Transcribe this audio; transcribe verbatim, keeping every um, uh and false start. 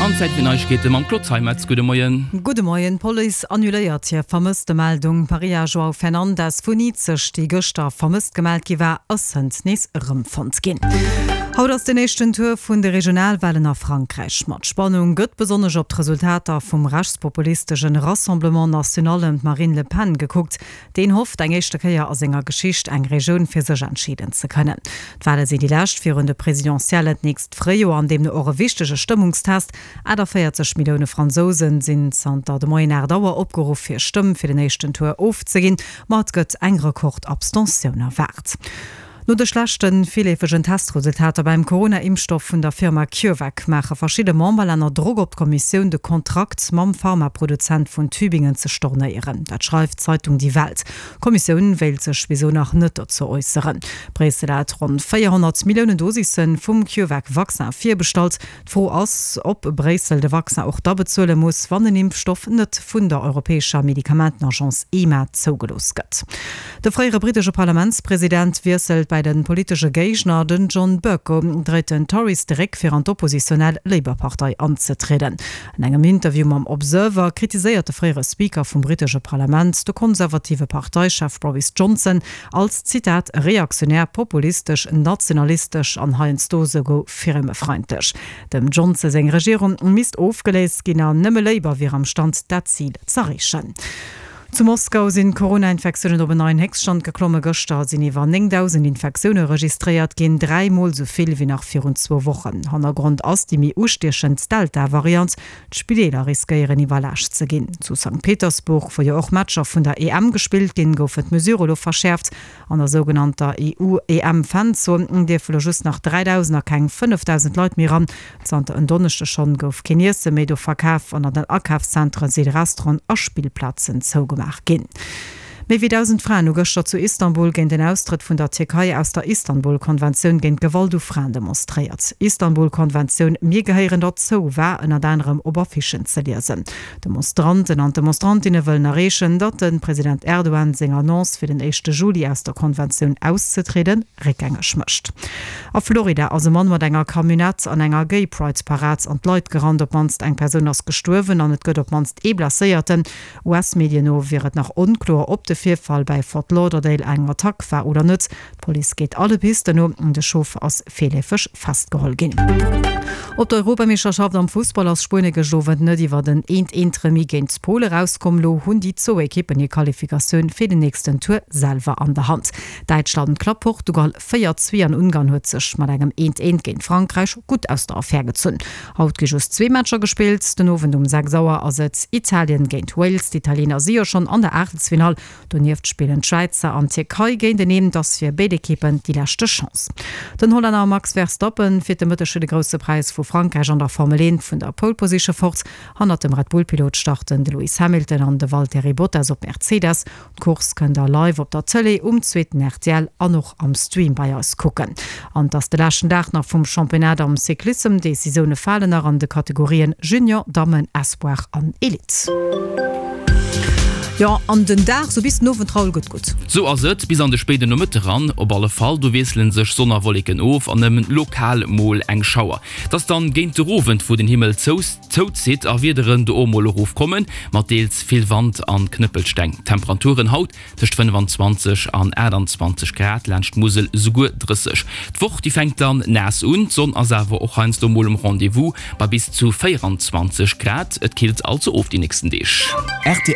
An Zäit fir Neiegkeete mam Claude Zeimetz. Gudde Moien. Gudde Moien. D'Police annuléiert hir Vermësstemeldung. D'Maria João Fernandes vun Izeg, déi gëschter vermësst gemellt gi war, ass hënt nees erëmfonnt ginn. Haut ass den éischten Tour vun de Regionalwalen a Frankräich. Mat Spannung gëtt besonnesch op d'Resultater vum rechtspopulistesche Rassemblement National ëm d'Marine Le Pen gekuckt. Deen hofft, eng éischte Kéier a senger Geschicht eng Regioun fir sech entscheeden ze kënnen. D'Wale sinn déi lescht virun de Presidentiellen d'nächst Fréijoer an deemno och e wichtege Stëmmungstest. achtavéierzeg Millioune Fransousen sinn zanter de Moien aacht Auer opgeruff hir Stëmm fir den éischten Tour ofzeginn, ma et gëtt eng Rekord-Abstentioun erwaart. No de schlechte virleefegen Testresultater beim Corona-Impfstoff vun der Firma CureVac maache verschidde Memberlänner Drock op d'Kommissioun, de Kontrakt mam Pharmaproduzent vun Tübingen ze stornéieren. Dat schreift d'Zeitung Die Welt. D'Kommissioun wéilt sech bis elo nach net dozou äusseren. Bréissel hat ronn véierhonnert Milliounen Dosisse vum CureVac-Vaccin virbestallt. D'Fro ass, ob Bréissel de Vaccin och da bezuele muss, wann den Impfstoff net vun der europäescher Medikamentenagence EMA zougelooss gëtt. De fréiere brittesche Parlamentspresident wiesselt bei de politesche Géigner, den John Bercow dréit den Tories de Réck fir an d'oppositionell Labour-Partei anzetrieden. An engem Interview mam Observer kritiséiert de fréiere Speaker vum brittesche Parlament de konservative Parteichef Boris Johnson als, Zitat, reaktionär, populistesch, nationalistesch an heiansdo souguer firmefeindlech. Dem Johnson seng Regierung misst ofgeléist ginn an nëmme Labour wier am Stand dat Zil z'erreechen. Zu Moskau sinn d'Corona-Infektiounen op en neien Héchststand geklomme. Gëschter sinn iwwer néngdausend Infektioune registréiert ginn, dräi Mol esou vill wéi nach virun zwou Wochen. Hannergrond ass déi méi ustiechend Delta-Variant. D'Spideeler riskéieren iwwerlaascht ze ginn. Zu Sankt Petersburg, wou jo och Matcher vun der E M gespillt ginn, goufen d'Mesurë lo verschäerft. An der sougenannter E U-E M-Fanzon dierfe lo just nach dräidausend a keng fënnefdausend Leit méi eran. Zanter en Donneschde schonn gouf keen Iesse méi do verkaf an an den Akafszentere si Restauranten a Spillplazen zougemaach ginn. Méi wéi dausend Fraen hu gëschter zu Istanbul géint den Austrëtt vun der Tierkei aus der Istanbul-Konventioun géint Gewalt u Fraen demonstréiert. Istanbul-Konventioun, Mir gehéieren derzou war ënnert anerem op Affichen ze liesen. D'Demonstranten an d'Demonstrantinne wëllen erreechen, datt de President Erdogan seng Annonce fir den éischte Juli aus der Konventioun auszetrieden, réckgängeg mécht. A Florida ass e Mann mat enger Camionnette an enger Gay Pride Parad an d'Leit gerannt. Op d'mannst eng Persoun ass gestuerwen an et gëtt op d'mannst ee Blesséierten. U S-Medien no wier et nach onkloer, ob de Virfall bäi Fort Lauderdale eng Attack war oder net. D'Police geet alle Pisten no. De Chauffer ass virleefeg festgeholl ginn. Op der Europameeschterschaft am Fussball ass Spuenie gëscht Owend net iwwer en eent-eent Remis géint Pole erauskomm. Lo hunn déi zwou Ekippen hir Qualifikatioun fir den nächsten Tour selwer an der Hand. Däitschland klappt Portugal véier zwee an Ungarn huet sech mat engem eent-eent géint Frankräich gutt aus der Affär gezunn. Haut gi just zwee Matcher gespillt. Den Owend um sechs Auer ass et Italien géint Wales. D'Italiener si jo schonn an der Aachtelsfinall. Donieft spillen d'Schwäizer an d'Tierkei géinteneen. Et ass fir béid Ekippen déi leschte Chance. Den Hollänner Max Verstappen fiert de Mëtteg fir de Grousse Präis vu Frankräich an der Formel eent vun der Pole Position fort. Hannert dem Red Bull-Pilot starten de Lewis Hamilton an de Valtteri Bottas op Mercedes. D'Course kënnt der live op der Tëlee, um zweeten R T L an och am Stream bei eis kucken. An et ass de leschten Dag nach vum Championnat am Cyclissem. Decisioune falen nach an de Kategorien Junior, Dammen, Espoir an Elite. Jo, an den Dag sou bis den Owend Raoul gëtt gutt. Sou ass et bis an de spéiden Nomëtte ran op alle Fall. Do wiessele sech Sonn a Wolleken of an nëmmen lokal mol eng Schauer. Et ass dann géint de Owend, wou den Himmel zouzitt a Wiederen do och mol erofkommen, mat deels vill Wand an Knëppelsteng. D'Temperaturen haut tëscht fënnefenzwanzeg an aachtanzwanzeg Grad, laanscht d'Musel esouguer drësseg. D'Woch déi fänkt dann naass un, d'Sonn ass awer och heiansdo mol um Rendez-vous bei bis zu véieranzwanzeg Grad. Et killt also of déi nächsten Deeg. R T L.